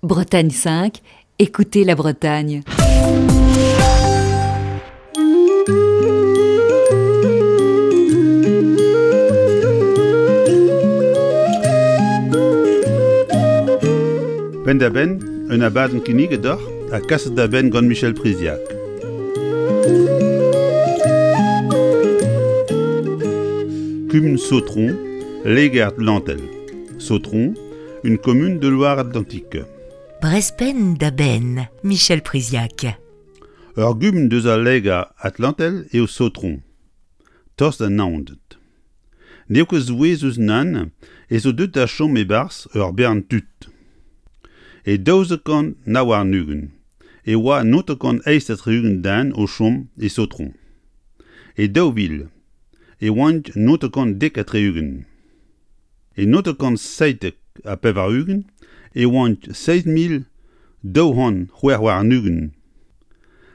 Bretagne 5, écoutez la Bretagne. Penn-da-benn, un abadenn kinniget deoc'h ha kaset da benn gant Michel Priziac. Kumun Sautron, Léger-Atlantel. Sautron, une commune de Loire-Atlantique. Brespenn da benn, Michel Priziac. Ur gumun deus al Lega Atlantel eo Sautron, tost da Naoned. N'eo ket souezhus nann ez eo deuet da chom e-barzh ur bern tud. E 1229 e oa 968 den o chom e Sautron. E 2000 e oant 970. E 1997 e oant 7226.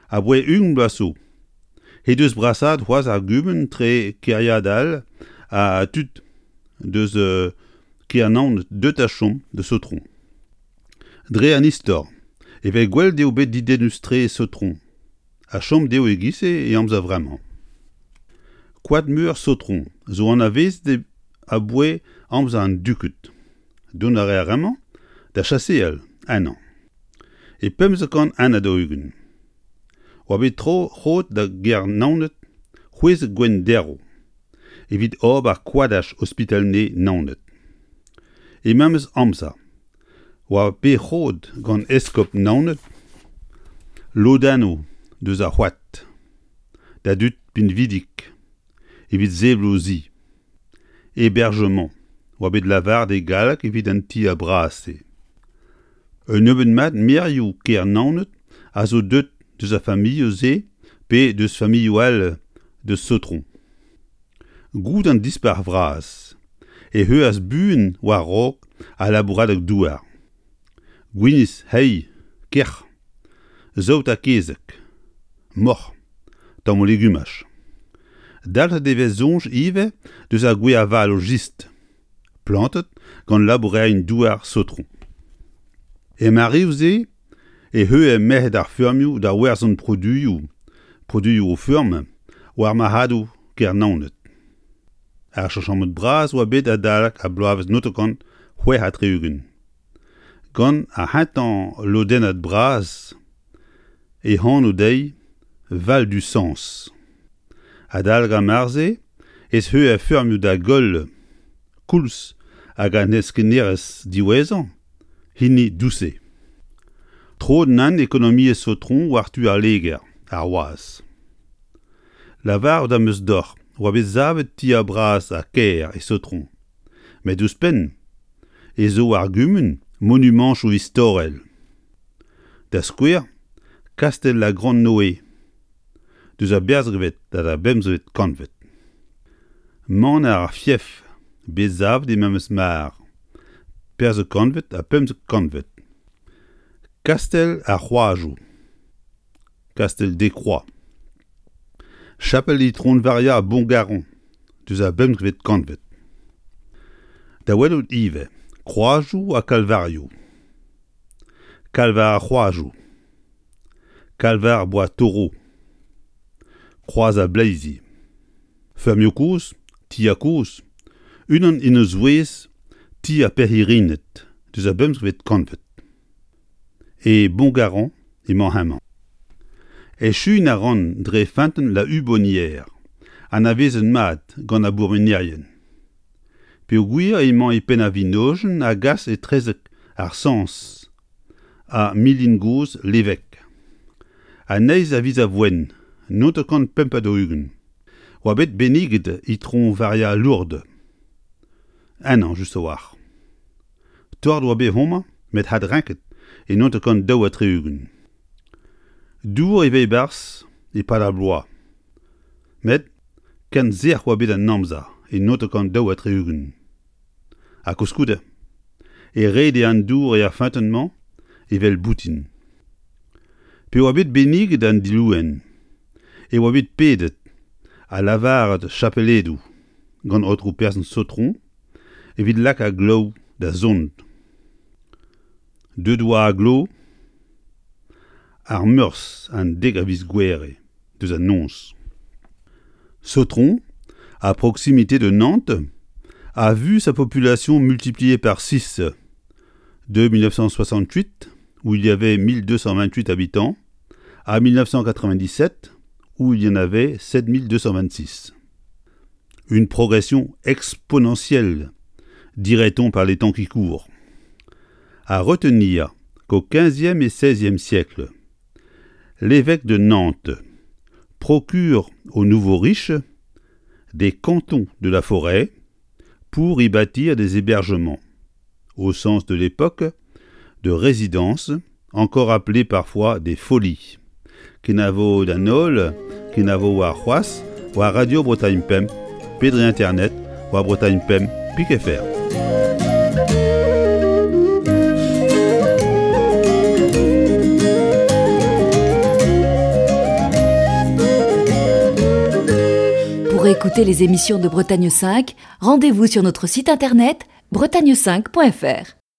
Aboae 20 bloaz zo he deus brasaet c'hoazh ar gumun tre kêriad all ha tud deus kêr Naoned deuet da chom da Sautron. Dre an istor e vez gwelet eo bet dedennus-tre Sautron ha chom dezho e-giz-se e amzer vremañ. Koad-meur Sautron zo anavezet aboae amzer an duked. Dont a reer amañ da chaseal ennañ. E 1541 oa bet tro roet da gêr Naoned 16 gwenn derv evit ober koadaj ospital-nevez Naoned. E memes amzer oa bet roet gant eskob Naoned lodennoù deus ar c'hoad da dud pinvidik evit sevel o zi. Hébergement oa bet lavaret e galleg evit an tier bras-se. Un nebeud mat maerioù kêr Naoned a zo deuet deus ar familhoù-se pe deus familhoù all deus Sautron. Goude an Dispac'h vras e heuas buan war-raok al labouradeg-douar. Gwinizh, heiz, kerc'h, saout ha kezeg, moc'h, tammoù legumaj. Dalc'het e vez soñj ivez deus ar gwez-avaloù jistr, plantet gant labourerien-douar Sautron. Er mareoù-se e heuilh merc'hed ar feurmioù da werzhañ produioù, produioù o feurm, war marc'hadoù kêr Naoned. Ar cheñchamant bras oa bet adalek ar bloavezh 1966. Gant ar c'hentañ lodennad bras e anv dezhi Val du Sens. Adalek ar mare-se ez eus ar feurmioù da goll koulz hag an heskennerezh diwezhañ, hini Douce. Troet nann ekonomiezh Sautron war-tu al Leger, ar wazh. Lavaret am eus deoc'h oa bet savet tier bras ha kaer e Sautron. Met ouzhpenn ez eo ar gumun monumantoù istorel. Da skouer, kastell La Grande Noë, deus ar berzhvet da ar bemzvet kantved. Maner ar Fief, bet savet e memes mar, perzh kantved ha 15 kantved. Kastell ar C'hroazoù. Kastell Decroix. Chapel Itron Varia Bongaron, deus ar bempvet kantved. Da welout ivez kroazioù ha kalvarioù. Kalvar ar C'hroazoù. Kalvar Bois Taureau. Kroaz ar Bleizi. Feurmioù kozh, tier kozh, unan en o zouez ti ar Perc'hirined deus ar bempvet kantved. E Bongaron emañ hemañ. Echuiñ a ran dre feunteun La Hubonnière, anavezet mat gant ar bourmenerien. Peogwir emañ e penn ar vinojenn a gas etrezek ar Sañs ha milin gozh Levek. An eizh a viz a Voen, 945, oa bet benniget Itron Varia Lourdes. Ennañ just a-walc'h. Tort oa bet homañ met adrenket e 1962. Dour e vez e-barzh e-pad ar bloaz. Met ken sec'h oa bet an amzer e 1962. Ha koulskoude e rede an dour er feunteun-mañ evel boutin. Pe oa bet benniget an dilouenn e oa bet pedet ha lavaret chapeledoù gant aotrou person Sautron evit lakaat glav da zont. Deut oa aglo ar Meurzh an dek a viz Gouere deus an noz. Sautron, à proximité de Nantes, a vu sa population multipliée par 6 de 1968, où il y avait 1228 habitants, à 1997, où il y en avait 7226. Une progression exponentielle, dirait-on par les temps qui courent. À retenir qu'au XVe et XVIe siècle, l'évêque de Nantes procure aux nouveaux riches des cantons de la forêt pour y bâtir des hébergements, au sens de l'époque, de résidences, encore appelées parfois des folies. Kenavo d'an holl, kenavo warc'hoazh war Radio Bretagne Pemp pe dre internet war Bretagne Pemp pik fr. Pour écouter les émissions de Bretagne 5, rendez-vous sur notre site internet bretagne5.fr.